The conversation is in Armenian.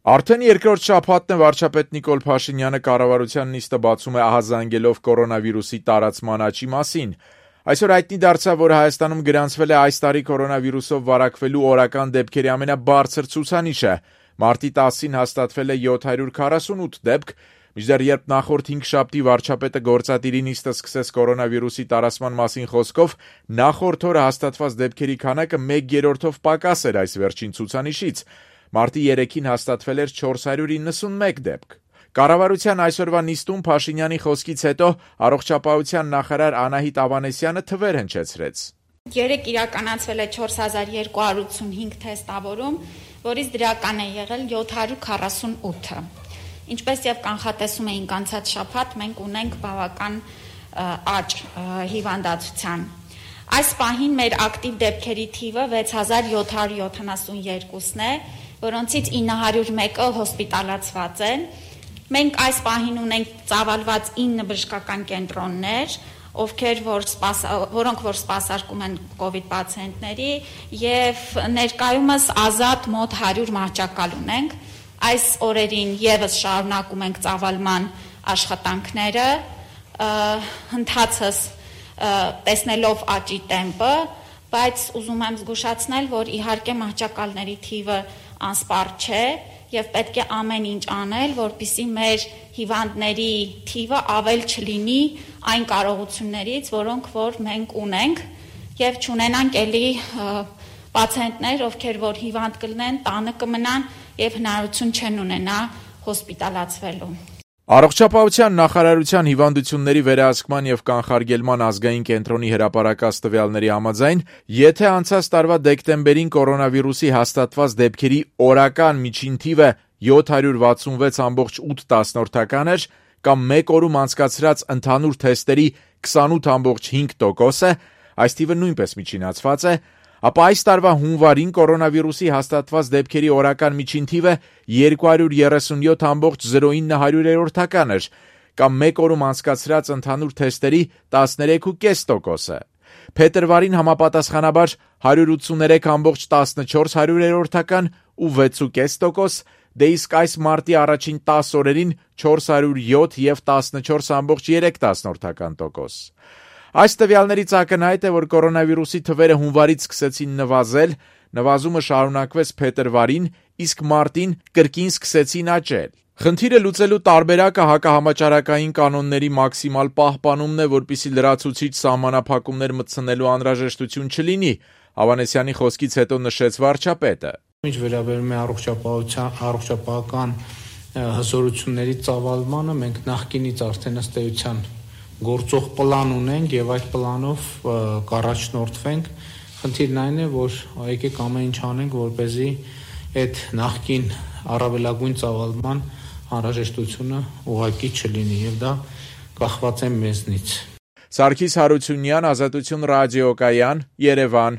Արդեն երկրորդ շաբաթն է վարչապետ Նիկոլ Փաշինյանը կառավարության նիստը բացում է ահազանգելով կորոնավիրուսի տարածման աճի մասին։ Այսօր հայտնի դարձավ, որ Հայաստանում գրանցվել է այս տարի կորոնավիրուսով վարակվելու օրական դեպքերի ամենաբարձր ցուցանիշը։ Մարտի 10-ին հաստատվել է 748 դեպք, մինչդեռ երբ նախորդ 5 շաբթի վարչապետը գործադիրի նիստը սկսեց կորոնավիրուսի տարածման մասին խոսքով, նախորդ օրը հաստատված դեպքերի քանակը 1/3-ով պակաս էր այս վերջին ցուցանիշից։ Մարտի 3-ին հաստատվել էր 491 դեպք։ Կառավարության այսօրվա նիստում Փաշինյանի խոսքից հետո առողջապահության նախարար Անահիտ Ավանեսյանը թվեր հնչեցրեց։ Երեկ իրականացվել է 4285 թեստավորում, որից դրական է եղել 748-ը։ Ինչպես եւ կանխատեսում էինք անցած շաբաթ, մենք ունենք բավական աճ հիվանդացության։ Այս պահին մեր ակտիվ դեպքերի թիվը 6772-ն է, որոնցից 901-ը հոսպիտալացված են։ Մենք այս պահին ունենք ծավալված 9 բժշկական կենտրոններ, որոնք սպասարկում են կովիդ պացիենտների, եւ ներկայումս ազատ մոտ 100 մահճակալ ունենք։ Այս օրերին եւս շարունակում ենք ծավալման աշխատանքները, ընթացս տեսնելով աճի տեմպը, բայց ուզում եմ զգուշացնել, որ իհարկե մահճակալների թիվը անսպառ չէ եւ պետք է ամեն ինչ անել, որպեսզի մեր հիվանդների թիվը ավել չլինի այն կարողություններից, որոնք որ մենք ունենք, եւ չունենանք էլի պացիենտներ, ովքեր որ հիվանդ կլինեն, տանը կմնան եւ հնարավորություն չեն ունենա հոսպիտալացվելու։ Առողջապահության նախարարության հիվանդությունների վերահսկման եւ կանխարգելման ազգային կենտրոնի հրապարակած տվյալների համաձայն, եթե անցած տարվա դեկտեմբերին կորոնավիրուսի հաստատված դեպքերի օրական միջին թիվը 766.8 էր, կամ մեկ օրում անցկացրած ընդհանուր թեստերի 28.5%, այս թիվը նույնպես միջինացված է, ապա այս տարվա հունվարին կորոնավիրուսի հաստատված դեպքերի օրական միջին թիվը 237.09 էր, կամ մեկ օրում անցկացրած ընդհանուր թեստերի 13.5%։ Փետրվարին համապատասխանաբար 183.14 ու 6.5%, դե իսկ այս մարտի առաջին 10 օրերին 407 եւ 14.3%։ Այս տվյալներից ակնհայտ է, որ կորոնավիրուսի թվերը հունվարից սկսեցին նվազել, նվազումը շարունակվեց փետրվարին, իսկ մարտին կրկին սկսեցին աճել։ Խնդիրը լուծելու տարբերակը հակահամաճարակային կանոնների մաքսիմալ պահպանումն է, որպեսզի լրացուցիչ սահմանափակումներ մտցնելու անհրաժեշտություն չլինի, Ավանեսյանի խոսքից հետո նշեց վարչապետը։ Ինչ վերաբերում է առողջապահական հզորությունների ծավալմանը, մենք նախկինից արդեն ըստ էության գործող պլան ունենք եւ այդ պլանով կառաջնորդվենք։ Խնդիրն այն է, որ եկեք ամեն ինչ անենք, որպեսզի այդ նախկին առավելագույն ծավալման անհրաժեշտությունը ուղղակի չլինի եւ դա կախված է մեզնից։ Սարգիս Հարությունյան, Ազատություն ռադիոկայան, Երևան։